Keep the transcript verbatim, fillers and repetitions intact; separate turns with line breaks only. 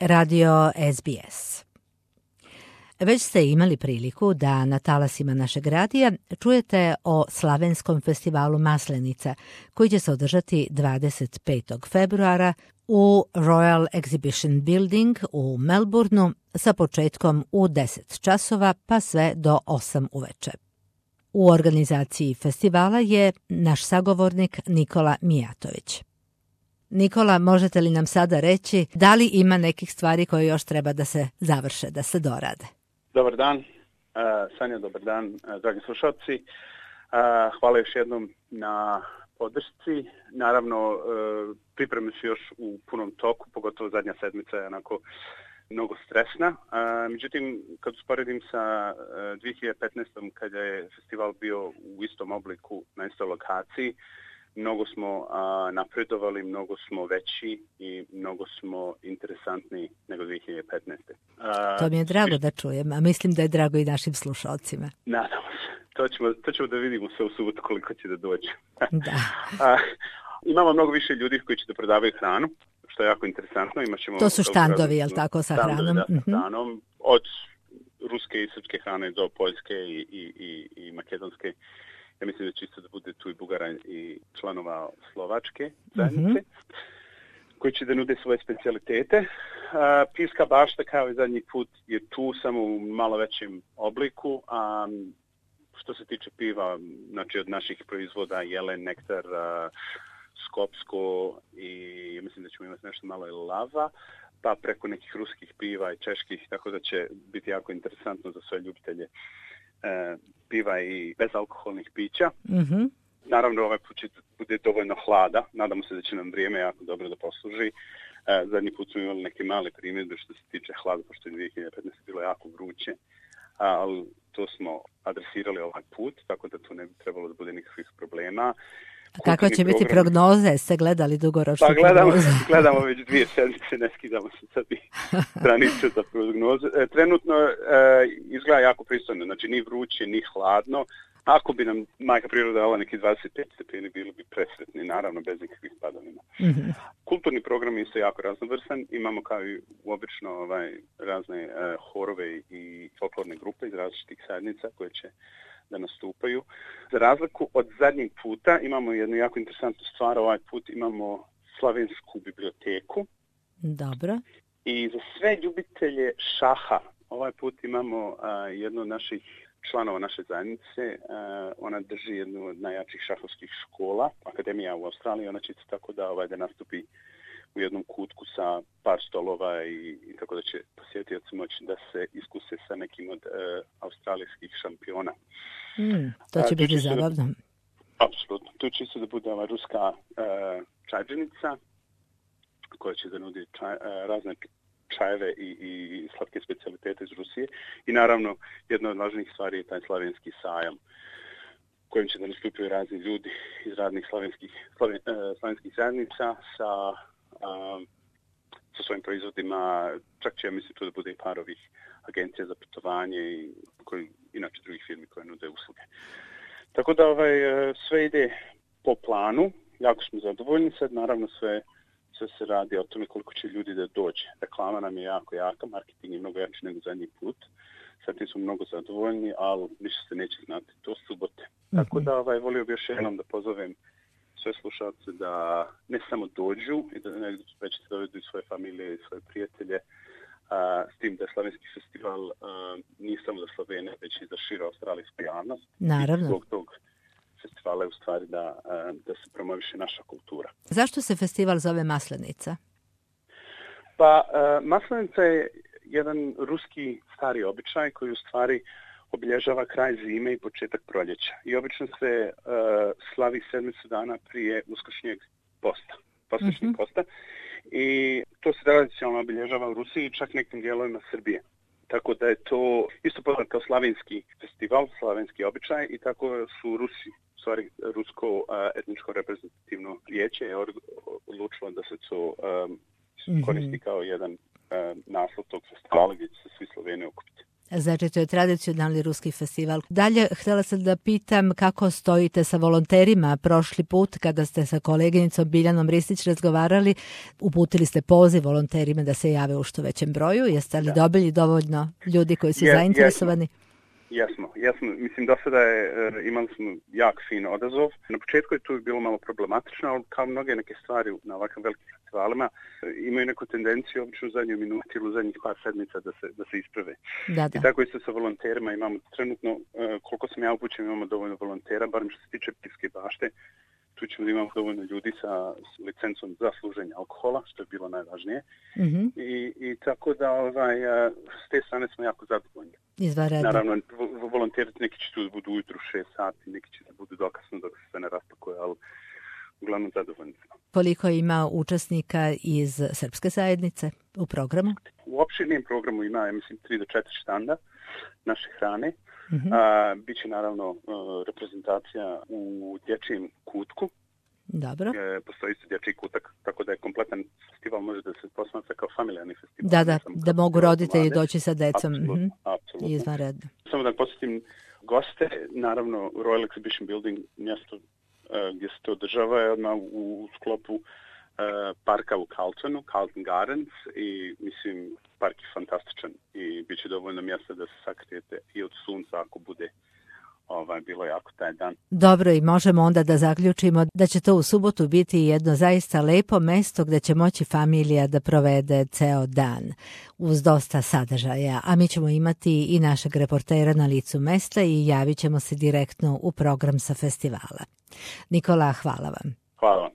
radio S B S. Već ste imali priliku da na talasima našeg radija čujete o Slavenskom festivalu Maslenica, koji će se održati dvadeset petog februara u Royal Exhibition Building u Melbourneu sa početkom u deset časova pa sve do osam uveče. U organizaciji festivala je naš sagovornik Nikola Mijatović. Nikola, možete li nam sada reći da li ima nekih stvari koje još treba da se završe, da se dorade?
Dobar dan, uh, Sanja, dobar dan, uh, dragi slušalci. Uh, hvala još jednom na podršci. Naravno, uh, pripreme su još u punom toku, pogotovo zadnja sedmica je onako mnogo stresna. Uh, međutim, kad usporedim sa uh, dvije hiljade petnaestom kada je festival bio u istom obliku na istoj lokaciji, mnogo smo a, napredovali, mnogo smo veći i mnogo smo interesantniji nego dvije hiljade petnaeste. A,
to mi je drago da čujem, a mislim da je drago i našim slušalcima.
Nadamo se. To ćemo, to ćemo da vidimo sve u subotu koliko će da dođe.
Da.
a, imamo mnogo više ljudi koji će da prodavaju hranu, što je jako interesantno. Imaćemo
to su štandovi, jel tako, sa
štandovi,
hranom?
Da, sa hranom. Od ruske i srpske hrane do poljske i, i, i, i makedonske. Ja mislim da će isto da bude tu i Bugara i članova slovačke zajednice, mm-hmm. koji će da nude svoje specijalitete. Uh, Pivska bašta kao i zadnji put je tu samo u malo većem obliku. A um, što se tiče piva, znači od naših proizvoda Jelen, Nektar, uh, Skopsko i mislim da ćemo imati nešto malo i Lava, pa preko nekih ruskih piva i čeških, tako da će biti jako interesantno za sve ljubitelje E, piva i bezalkoholnih pića.
Mm-hmm.
Naravno, ovaj put će bude dovoljno hlada. Nadamo se da će nam vrijeme jako dobro da posluži. E, zadnji put smo imali neke male primjedbe što se tiče hlada, pošto je dvije hiljade petnaeste bilo jako vruće. Ali to smo adresirali ovaj put, tako da tu ne bi trebalo da bude nikakvih problema.
A kakva će biti program... prognoze? Ste gledali dugoročnu
pa, gledamo,
prognozu?
gledamo već dvije sedmice, ne skidamo se sad i stranice za prognoze. E, trenutno e, izgleda jako pristojno, znači ni vruće, ni hladno. Ako bi nam majka priroda dala neki dvadeset pet stepeni, bili bi presretni, naravno bez nikakvih padavina.
Mm-hmm.
Kulturni program je isto jako raznovrsan. Imamo kao i obično ovaj, razne e, horove i folklorne grupe iz različitih zajednica koje će da nastupaju. Za razliku od zadnjeg puta imamo jednu jako interesantnu stvar. Ovaj put imamo Slavensku biblioteku.
Dobro.
I za sve ljubitelje šaha ovaj put imamo uh, jednu od naših članova naše zajednice. Uh, ona drži jednu od najjačih šahovskih škola, akademija u Australiji. Ona će tako da, ovaj, da nastupi u jednom kutku sa par stolova i, i tako da će posjetioci moći da se iskuse sa nekim od uh, australijskih šampiona.
Mm, to će uh, biti zabavno.
Da, apsolutno. Tu će se da bude ova ruska uh, čajđenica koja će da nudi čaj, uh, razne čajeve i, i slatke specijalitete iz Rusije. I naravno, jedna od važnijih stvari je taj slavenski sajam kojim će da nastupaju razni ljudi iz radnih slavenskih, slaven, uh, slavenskih zajednica sa Um, sa svojim proizvodima, čak će ja mislim tu da bude i par ovih agencija za putovanje i koji, inače drugih firmi koje nude usluge. Tako da ovaj, sve ide po planu, jako smo zadovoljni sad, naravno sve, sve se radi o tome koliko će ljudi da dođe. Reklama nam je jako jaka, marketing je mnogo jači nego zadnji put, sad tim smo mnogo zadovoljni, ali ništa se neće znati do subote. Mm-hmm. Tako da ovaj, volio bi još jednom da pozovem sve slušalce da ne samo dođu, i da već da dovedu i svoje familije i svoje prijatelje, a, s tim da je Slavenski festival a, nije samo za Slovene, već i za širu australijsku javnost.
Naravno.
I zbog tog festivala je u stvari da, a, da se promoviše naša kultura.
Zašto se festival zove Maslenica?
Pa, a, Maslenica je jedan ruski stari običaj koji u stvari obilježava kraj zime i početak proljeća. I obično se uh, slavi sedmicu dana prije uskršnjeg posta, poslušnjeg mm-hmm. posta. I to se tradicionalno obilježava u Rusiji i čak nekim dijelovima Srbije. Tako da je to isto poznat kao slavenski festival, slavenski običaj i tako su Rusi, stvari rusko uh, etničko reprezentativno vijeće je odlučilo da se to um, mm-hmm. koristi kao jedan uh, naslov tog festivala gdje će se svi Sloveni okupiti.
Znači, to je tradicionalni ruski festival. Dalje, htjela sam da pitam kako stojite sa volonterima. Prošli put, kada ste sa koleginicom Biljanom Ristić razgovarali, uputili ste poziv volonterima da se jave u što većem broju. Jeste li da. dobili dovoljno ljudi koji su je, zainteresovani?
Jesmo, jesmo. Mislim, do sada je, imali smo jak fin odazov. Na početku je tu bilo malo problematično, ali kao mnoge neke stvari na ovakvim velikim festivalima imaju neku tendenciju obično u zadnjoj minuti ili u zadnjih par sedmica da se, da se isprave.
Da, da.
I tako isto sa volonterima imamo trenutno, koliko sam ja upućen, imamo dovoljno volontera, barem što se tiče Pivske bašte. Tu ćemo da imamo dovoljno ljudi sa licencom za služenje alkohola, što je bilo najvažnije. Mm-hmm. I, I tako da ovaj, s te strane smo jako zadovoljni.
Izvaredno.
Naravno, volonteri neki će tu da budu ujutru šest sati, neki će da budu dokasno dok se sve ne raspakuje, ali uglavnom zadovoljni smo.
Koliko ima učesnika iz srpske zajednice u programu?
U opširnijem programu ima, ja mislim, tri do četiri štanda naše hrane. Mm-hmm. A, biće naravno reprezentacija u dječjem kutku.
Dobro.
E, postoji se dječji kutak, tako da je kompletan festival može da se posmatra kao familijarni festival.
Da, da, da mogu roditelji doći sa decom.
Apsolutno, mm-hmm. apsolutno.
Izvanredno.
Samo da posjetim goste, naravno Royal Exhibition Building, mjesto uh, gdje se to održava je odmah u, u sklopu uh, parka u Carltonu, Carlton Gardens, i mislim park je fantastičan i bit će dovoljno mjesta da se sakrijete i od sunca ako bude ovaj, bilo jako taj dan.
Dobro, i možemo onda da zaključimo da će to u subotu biti jedno zaista lepo mesto gdje će moći familija da provede ceo dan uz dosta sadržaja, a mi ćemo imati i našeg reportera na licu mesta i javit ćemo se direktno u program sa festivala. Nikola, hvala vam.
Hvala vam.